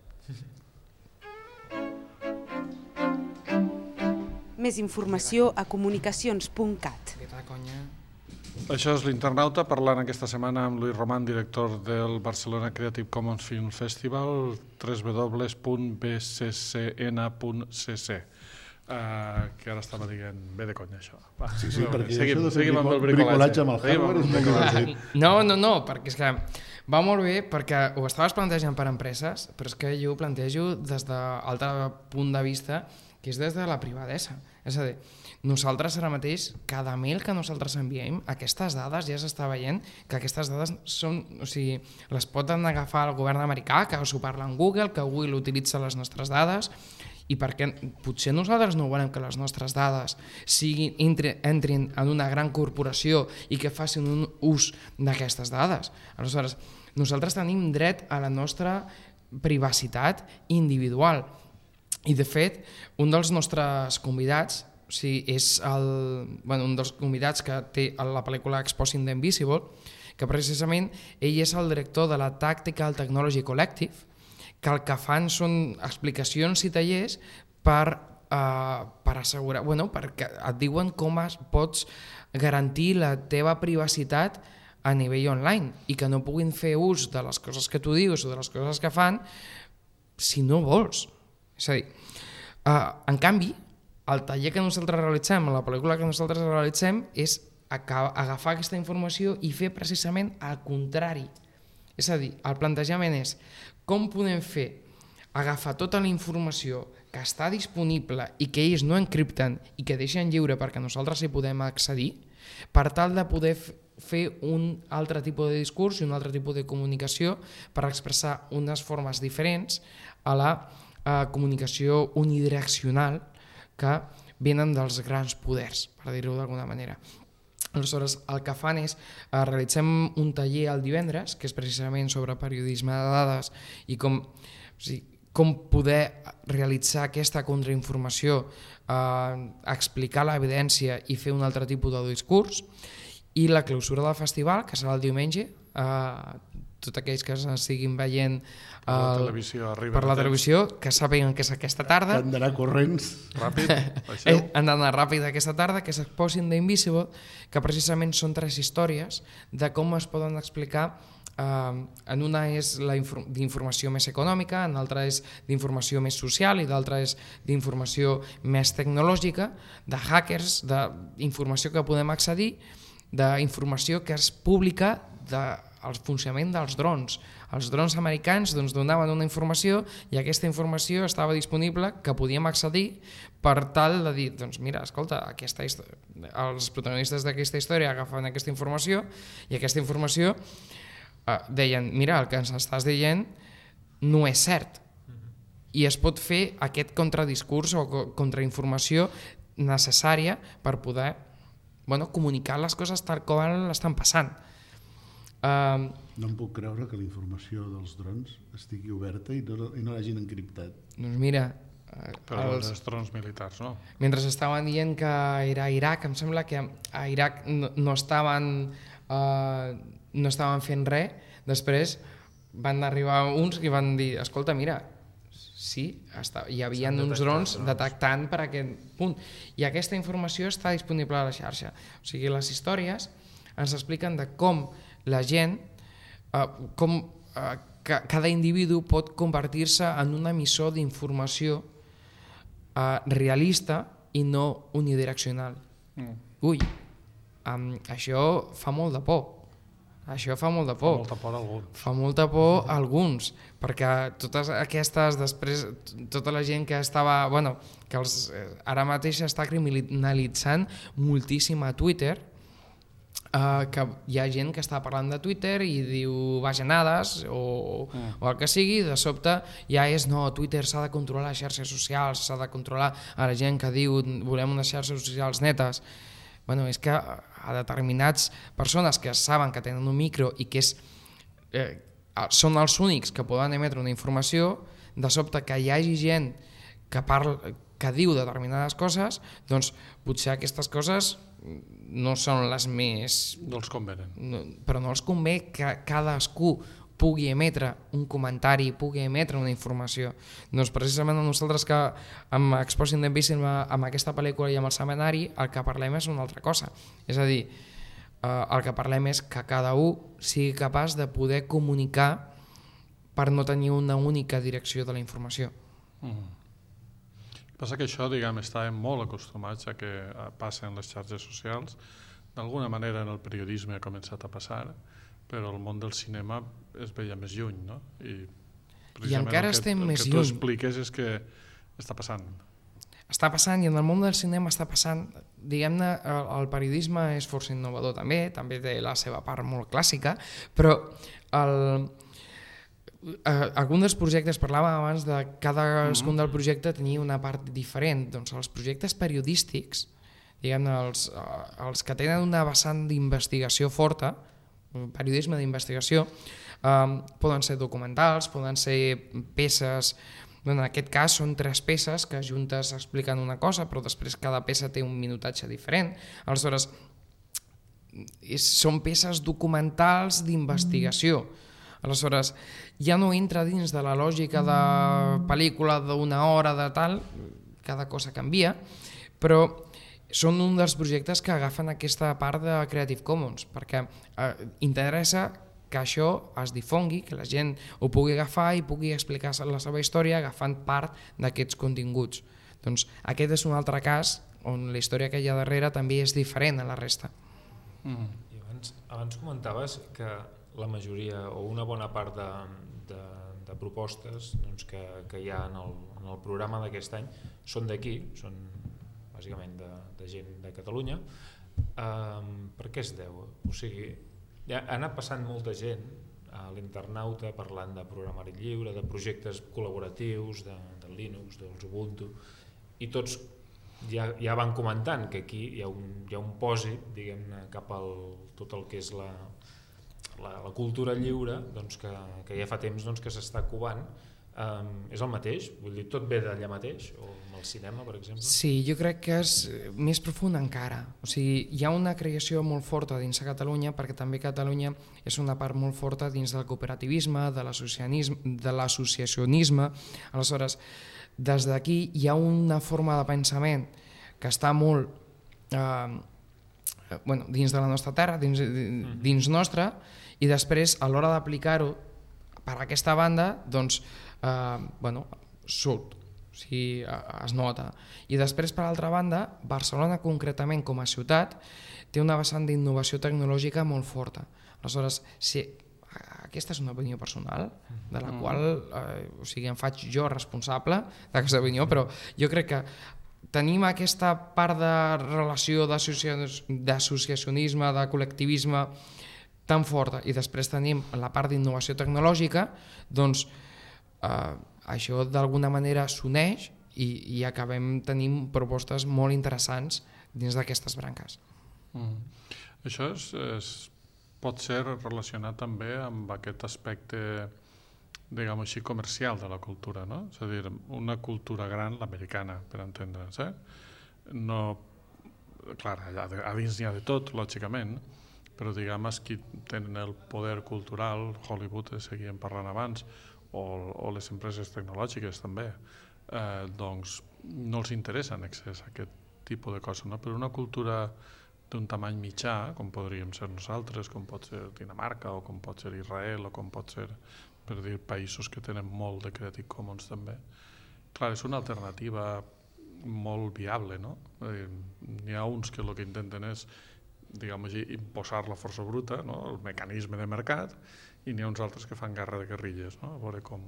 Més informació a comunicacions.cat.
Això és l'Internauta, parlant aquesta setmana amb Luis Román, director del Barcelona Creative Commons Film Festival, www.bccn.cc. Que ara estava dient bé de conya això. Va,
Sí, perquè
seguim amb el
bricolatge amb el hardware és molt divertit.
No, perquè és que va molt bé, perquè ho estaves plantejant per empreses, però és que jo ho plantejo des d'altre punt de vista, que és des de la privadesa. És a dir, nosaltres ara mateix, cada mail que nosaltres enviem, aquestes dades ja s'està veient que aquestes dades són, o sigui, les poden agafar el govern americà, que s'ho parla en Google, que Google utilitza les nostres dades, i perquè potser nosaltres no volem que les nostres dades entrin en una gran corporació i que facin un ús d'aquestes dades. Aleshores, nosaltres tenim dret a la nostra privacitat individual. I de fet, un dels nostres convidats, és un dels convidats que té la pel·lícula Exposing the Invisible, que precisament ell és el director de la Tactical Technology Collective, que el que fan són explicacions i tallers per assegurar, perquè et diuen com pots garantir la teva privacitat a nivell online i que no puguin fer ús de les coses que tu dius o de les coses que fan si no vols. És a dir, en canvi, el taller que nosaltres realitzem, la pel·lícula que nosaltres realitzem, és agafar aquesta informació i fer precisament el contrari. És a dir, el plantejament és com podem fer agafar tota la informació que està disponible i que ells no encripten i que deixen lliure perquè nosaltres hi podem accedir, per tal de poder fer un altre tipus de discurs i un altre tipus de comunicació per expressar unes formes diferents a la comunicació unidireccional que venen dels grans poders, per dir-ho d'alguna manera. Aleshores, el que fan és realitzem un taller el divendres, que és precisament sobre periodisme de dades i com poder realitzar aquesta contrainformació, explicar l'evidència i fer un altre tipus de discurs, i la clausura del festival, que serà el diumenge, tots aquells que estiguin veient per la televisió, que sàpiguen que és aquesta tarda.
Han d'anar corrents.
Ràpid, baixeu.
Han d'anar ràpid aquesta tarda, que s'Exposing the Invisible, que precisament són 3 històries de com es poden explicar. En una és d'informació més econòmica, en l'altra és d'informació més social i d'altra és d'informació més tecnològica, de hackers, d'informació que podem accedir, d'informació que es publica del funcionament dels drons. Els drons americans donaven una informació i aquesta informació estava disponible, que podíem accedir per tal de dir, mira, escolta, els protagonistes d'aquesta història agafen aquesta informació i aquesta informació deien, mira, el que ens estàs dient no és cert. I es pot fer aquest contradiscurs o contrainformació necessària per poder comunicar les coses tal com estan passant.
No em puc creure que la informació dels drons estigui oberta i no l'hagin encriptat.
Doncs mira...
Però els drons militars, no?
Mentre estaven dient que era a Iraq, em sembla que a Iraq no estaven fent res, després van arribar uns i van dir, escolta, mira, sí, hi havia uns drons detectant per aquest punt. I aquesta informació està disponible a la xarxa. O sigui, les històries ens expliquen de com la gent, cada individu pot convertir-se en un emissor d'informació realista i no unidireccional. Ui, això fa molt de por. Això fa molt de por. Fa molta por a alguns, perquè totes aquestes, després, tota la gent que estava, que ara mateix està criminalitzant moltíssim a Twitter, que hi ha gent que està parlant de Twitter i diu bajanades o el que sigui, de sobte ja és no, Twitter s'ha de controlar les xarxes socials, s'ha de controlar a la gent que diu volem unes xarxes socials netes. És que a determinats persones que saben que tenen un micro i que és són els únics que poden emetre una informació, de sobte que hi hagi gent que diu determinades coses, doncs potser aquestes coses no són les més...
No els convenen.
Però no els convé que cadascú pugui emetre un comentari, pugui emetre una informació. Doncs precisament a nosaltres que amb Exposing the Invisible, amb aquesta pel·lícula i amb el seminari, el que parlem és una altra cosa. És a dir, el que parlem és que cada un sigui capaç de poder comunicar per no tenir una única direcció de la informació.
Passa que això, diguem, estàvem molt acostumats a que passen les xarxes socials. D'alguna manera en el periodisme ha començat a passar, però el món del cinema es veia més lluny, no?
I encara estem més lluny.
El que tu expliques és que està passant.
Està passant, i en el món del cinema està passant. Diguem-ne, el periodisme és força innovador també té la seva part molt clàssica, però algun dels projectes, parlàvem abans de cadascun del projecte tenia una part diferent. Doncs els projectes periodístics, diguem-ne, els que tenen una vessant d'investigació forta, periodisme d'investigació, poden ser documentals, poden ser peces. En aquest cas són 3 peces que juntes expliquen una cosa, però després cada peça té un minutatge diferent. Aleshores, són peces documentals d'investigació. Aleshores, ja no entra dins de la lògica de pel·lícula d'una hora de tal, cada cosa canvia, però són un dels projectes que agafen aquesta part de Creative Commons, perquè interessa que això es difongui, que la gent ho pugui agafar i pugui explicar la seva història agafant part d'aquests continguts. Doncs aquest és un altre cas on la història que hi ha darrere també és diferent a la resta.
I abans comentaves que la majoria o una bona part de propostes que hi ha en el programa d'aquest any són d'aquí, són bàsicament de gent de Catalunya. Per què es deu? O sigui, ha anat passant molta gent a l'internauta parlant de programari lliure, de projectes col·laboratius, del Linux, dels Ubuntu, i tots ja van comentant que aquí hi ha un pòsit, diguem-ne, cap al tot el que és la cultura lliure, doncs que ja fa temps que s'està covant. És el mateix? Vull dir, tot ve d'allà mateix? O amb el cinema, per exemple?
Sí, jo crec que és més profund encara. O sigui, hi ha una creació molt forta dins de Catalunya, perquè també Catalunya és una part molt forta dins del cooperativisme, de l'associacionisme. Aleshores, des d'aquí hi ha una forma de pensament que està molt dins de la nostra terra, dins nostra, i després, a l'hora d'aplicar-ho per aquesta banda, doncs, surt, o sigui, es nota. I després, per altra banda, Barcelona concretament com a ciutat té una vessant d'innovació tecnològica molt forta. Aleshores, aquesta és una opinió personal, de la qual em faig jo responsable d'aquesta opinió, però jo crec que tenim aquesta part de relació d'associacionisme, de col·lectivisme tan forta, i després tenim la part d'innovació tecnològica, doncs això d'alguna manera s'uneix i acabem tenint propostes molt interessants dins d'aquestes branques.
Això pot ser relacionat també amb aquest aspecte, diguem així, comercial de la cultura, no? És a dir, una cultura gran, l'americana, per entendre'ns, no, clar, a dins n'hi ha de tot, lògicament, però diguem que tenen el poder cultural, Hollywood, seguíem parlant abans, o les empreses tecnològiques també, doncs no els interessa en excés aquest tipus de coses, no? Però una cultura d'un tamany mitjà, com podríem ser nosaltres, com pot ser Dinamarca, o com pot ser Israel, o com pot ser, per dir, països que tenen molt de Creative Commons també, clar, és una alternativa molt viable, no? N'hi ha uns que el que intenten és, diguem així, imposar la força bruta, no? El mecanisme de mercat, i n'hi ha uns altres que fan guerra de guerrilles, no? A veure com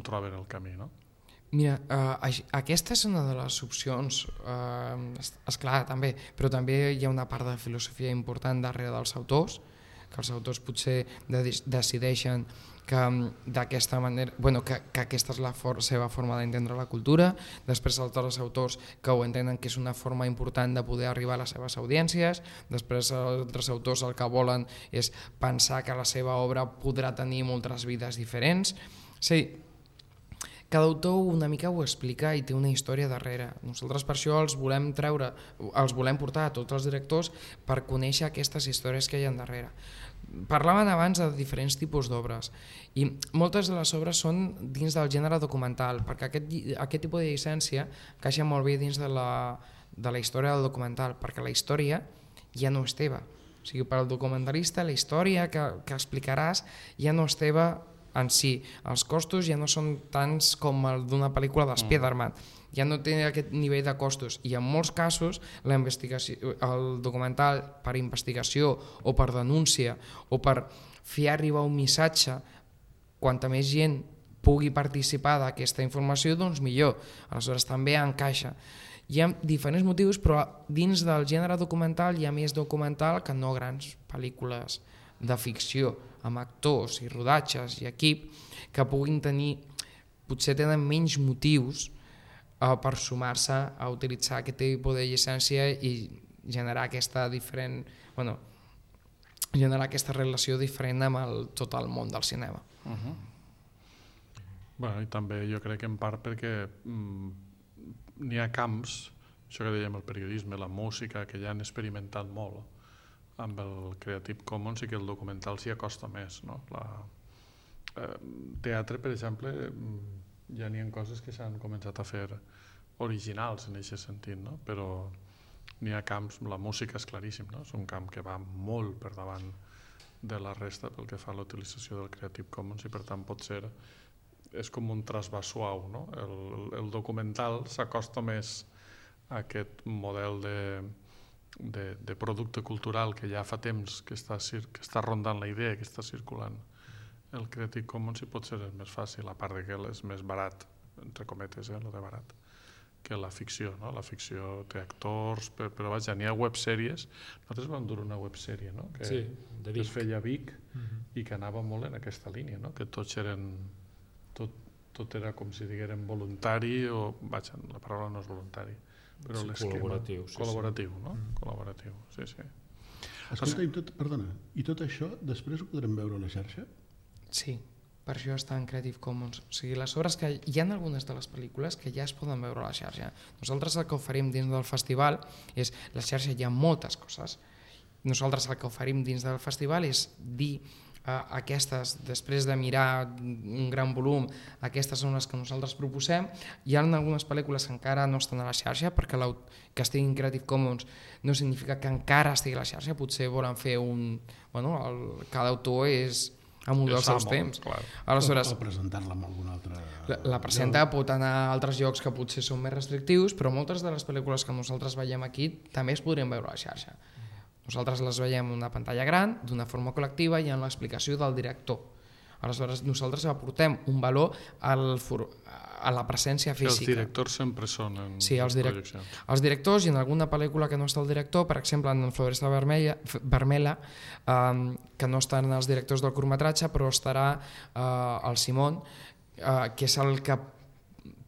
troben el camí, no?
Mira, aquesta és una de les opcions, esclar, també, però també hi ha una part de filosofia important darrere dels autors, que els autors potser decideixen que d'aquesta manera, que aquesta és la seva forma d'entendre la cultura, després altres autors que ho entenen que és una forma important de poder arribar a les seves audiències, després altres autors el que volen és pensar que la seva obra podrà tenir moltes vides diferents. Sí, cada autor una mica ho explica i té una història darrere. Nosaltres per això els volem portar a tots els directors per conèixer aquestes històries que hi ha darrere. Parlaven abans de diferents tipus d'obres i moltes de les obres són dins del gènere documental, perquè aquest tipus de llicència encaixa molt bé dins de la història del documental, perquè la història ja no és teva. O sigui, per al documentalista la història que explicaràs ja no és teva en si. Els costos ja no són tants com el d'una pel·lícula de Spider-Man, ja no té aquest nivell de costos i en molts casos el documental per investigació o per denúncia o per fer arribar un missatge, quanta més gent pugui participar d'aquesta informació, doncs millor. Aleshores també encaixa. Hi ha diferents motius, però dins del gènere documental hi ha més documental que no grans pel·lícules de ficció amb actors i rodatges i equip que puguin tenir, potser tenen menys motius per sumar-se a utilitzar aquest tipus de llicència i generar aquesta relació diferent amb tot el món del cinema.
I també jo crec que en part perquè n'hi ha camps, això que dèiem el periodisme, la música, que ja han experimentat molt amb el Creative Commons i que el documental s'hi acosta més. Teatre, per exemple, ja n'hi ha coses que s'han començat a fer originals en aquest sentit, però n'hi ha camps, la música és claríssim, és un camp que va molt per davant de la resta pel que fa a la utilització del Creative Commons i per tant pot ser, és com un trasbàs suau, el documental s'acosta més a aquest model de producte cultural que ja fa temps que està rondant la idea, que està circulant. El Creative Commons pot ser més fàcil, a part que és més barat, entre cometes, el de barat, que la ficció. La ficció té actors, però vaja, n'hi ha websèries. Nosaltres vam dur una websèrie que es feia a Vic i que anava molt en aquesta línia, que tots eren, tot era com si diguérem voluntari, o vaja, la paraula no és voluntari, però l'esquema col·laboratiu, col·laboratiu, sí.
Escolta, perdona, i tot això després ho podrem veure a la xarxa?
Sí, per això està en Creative Commons. O sigui, les obres que hi ha algunes de les pel·lícules que ja es poden veure a la xarxa. Nosaltres el que oferim dins del festival és, la xarxa hi ha moltes coses. Nosaltres el que oferim dins del festival és dir aquestes, després de mirar un gran volum, aquestes són les que nosaltres proposem. Hi ha algunes pel·lícules que encara no estan a la xarxa, perquè que estigui en Creative Commons no significa que encara estigui a la xarxa, potser volen fer cada autor és amb un dels seus temps.
Aleshores, o presentar-la amb algun altre...
La presenta pot anar a altres llocs que potser són més restrictius, però moltes de les pel·lícules que nosaltres veiem aquí també es podrien veure a la xarxa. Nosaltres les veiem en una pantalla gran, d'una forma col·lectiva i en l'explicació del director. Aleshores, nosaltres aportem un valor a la presència física.
Els directors sempre són en projeccions.
Els directors, i en alguna pel·lícula que no està el director, per exemple, en Floresta Vermella, que no estan els directors del curtmetratge, però estarà el Simón, que és el que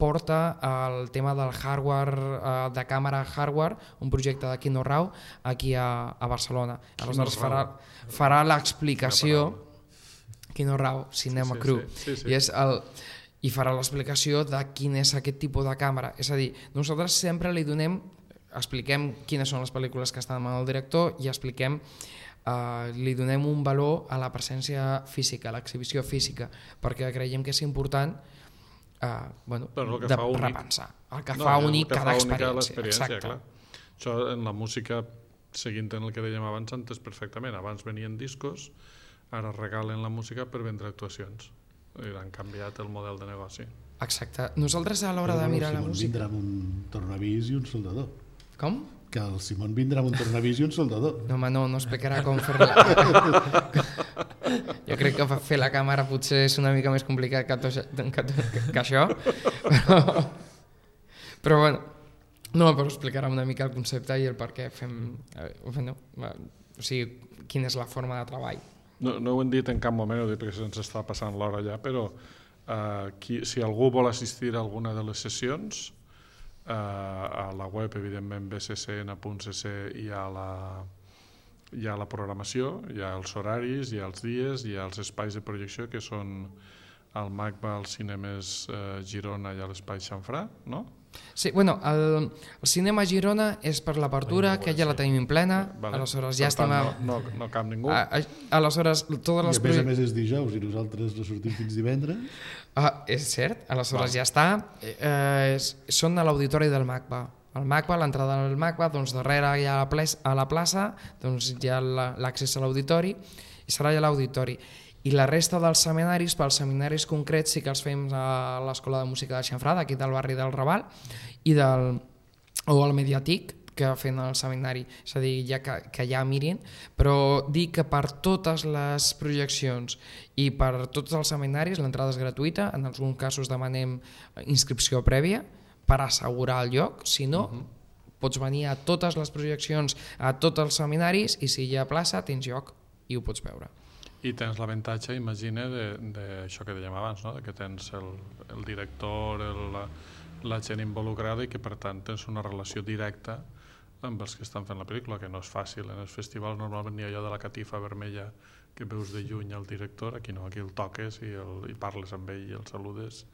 porta el tema del hardware, de càmera hardware, un projecte de Kino Rau aquí a Barcelona. Aleshores farà l'explicació, Kino Rau, Cinema Crew, i farà l'explicació de quin és aquest tipus de càmera. És a dir, nosaltres sempre expliquem quines són les pel·lícules que estan amb el director i li donem un valor a la presència física, a l'exhibició física, perquè creiem que és important de repensar el que fa únic cada experiència. Exacte.
Això en la música, seguint en el que dèiem abans, s'entès perfectament. Abans venien discos, ara regalen la música per vendre actuacions. Han canviat el model de negoci.
Exacte. Nosaltres a l'hora de mirar la música...
Vindrà amb un tornavís i un soldador.
Com?
Que el Simón vindrà amb un tornavís i un soldador.
No, home, no explicarà com fer-la. Jo crec que fer la càmera potser és una mica més complicat que això. Però bueno. No, però explicarà una mica el concepte i el per què fem... o sigui, quina és la forma de treball.
No ho hem dit en cap moment, ho dic perquè se'ns està passant l'hora ja, però si algú vol assistir a alguna de les sessions, a la web, evidentment, bccn.cc hi ha la programació, hi ha els horaris, hi ha els dies, hi ha els espais de projecció que són al MACBA, als cinemes Girona i a l'espai Xamfrà, no?
Sí, bueno, el cinema Girona és per l'apertura, que ja la tenim plena, aleshores ja estem...
No cap ningú.
Aleshores, totes les...
I a més és dijous i nosaltres no sortim fins divendres.
És cert, aleshores ja està. Són a l'auditori del MACBA. El MACBA, l'entrada del MACBA, doncs darrere hi ha a la plaça, doncs hi ha l'accés a l'auditori i serà allà a l'auditori. I la resta dels seminaris, pels seminaris concrets sí que els fem a l'Escola de Música de Xamfrà, d'aquí del barri del Raval, o al Mediatic, que fan el seminari, és a dir, ja que ja mirin, però dir que per totes les projeccions i per tots els seminaris l'entrada és gratuïta, en alguns casos demanem inscripció prèvia per assegurar el lloc, si no, pots venir a totes les projeccions, a tots els seminaris, i si hi ha plaça tens lloc i ho pots veure.
I tens l'avantatge, imagina, d'això que dèiem abans, no? Que tens el director, la gent involucrada i que per tant tens una relació directa amb els que estan fent la pel·lícula, que no és fàcil. En els festivals normalment hi ha allò de la catifa vermella que veus de lluny el director, aquí no, aquí el toques i parles amb ell i el saludes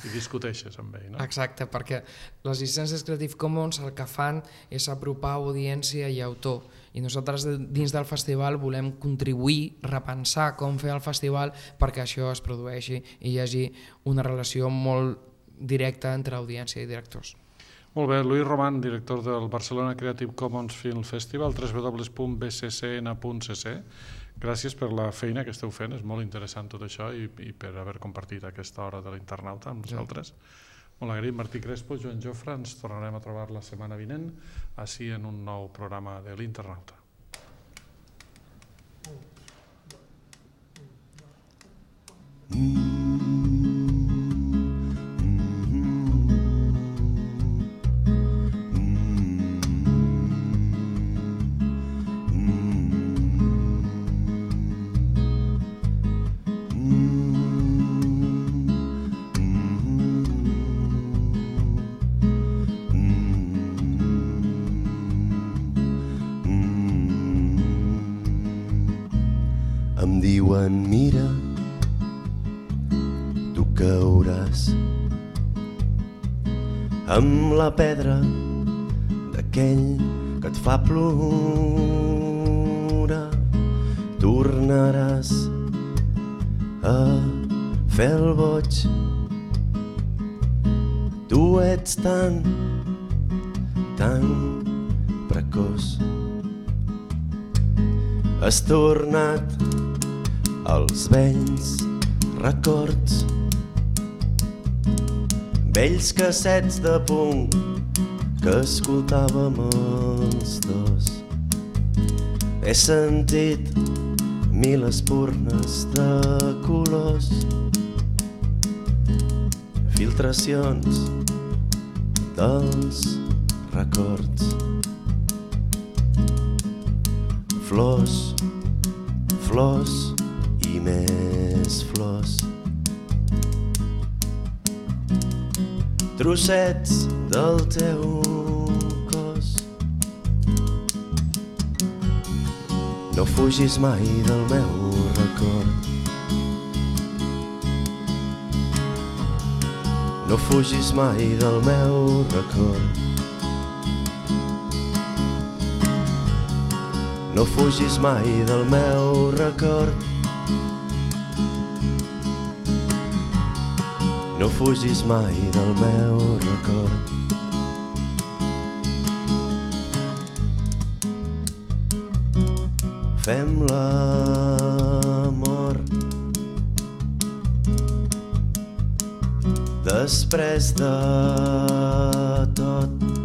i discuteixes amb ell, no?
Exacte, perquè les llicències Creative Commons el que fan és apropar audiència i autor, i nosaltres dins del festival volem contribuir, repensar com fer el festival perquè això es produeixi i hi hagi una relació molt directa entre audiència i directors.
Molt bé, Luis Román, director del Barcelona Creative Commons Film Festival, www.bccn.cc. Gràcies per la feina que esteu fent, és molt interessant tot això i per haver compartit aquesta hora de l'internauta amb nosaltres. Molt agraït, Martí Crespo, Joan Jofre, ens tornarem a trobar la setmana vinent, així en un nou programa de l'internauta.
Em diuen, mira, tu cauràs amb la pedra d'aquell que et fa plorar. Tornaràs a fer el boig. Tu ets tan precoç. Has tornat als vells records, vells cassets de punk que escoltàvem els dos. He sentit mil espurnes de colors, filtracions dels records. Flors, flors i més flors, trossets del teu cos. No fugis mai del meu record, no fugis mai del meu record. No fugis mai del meu record. No fugis mai del meu record. Fem l'amor després de tot.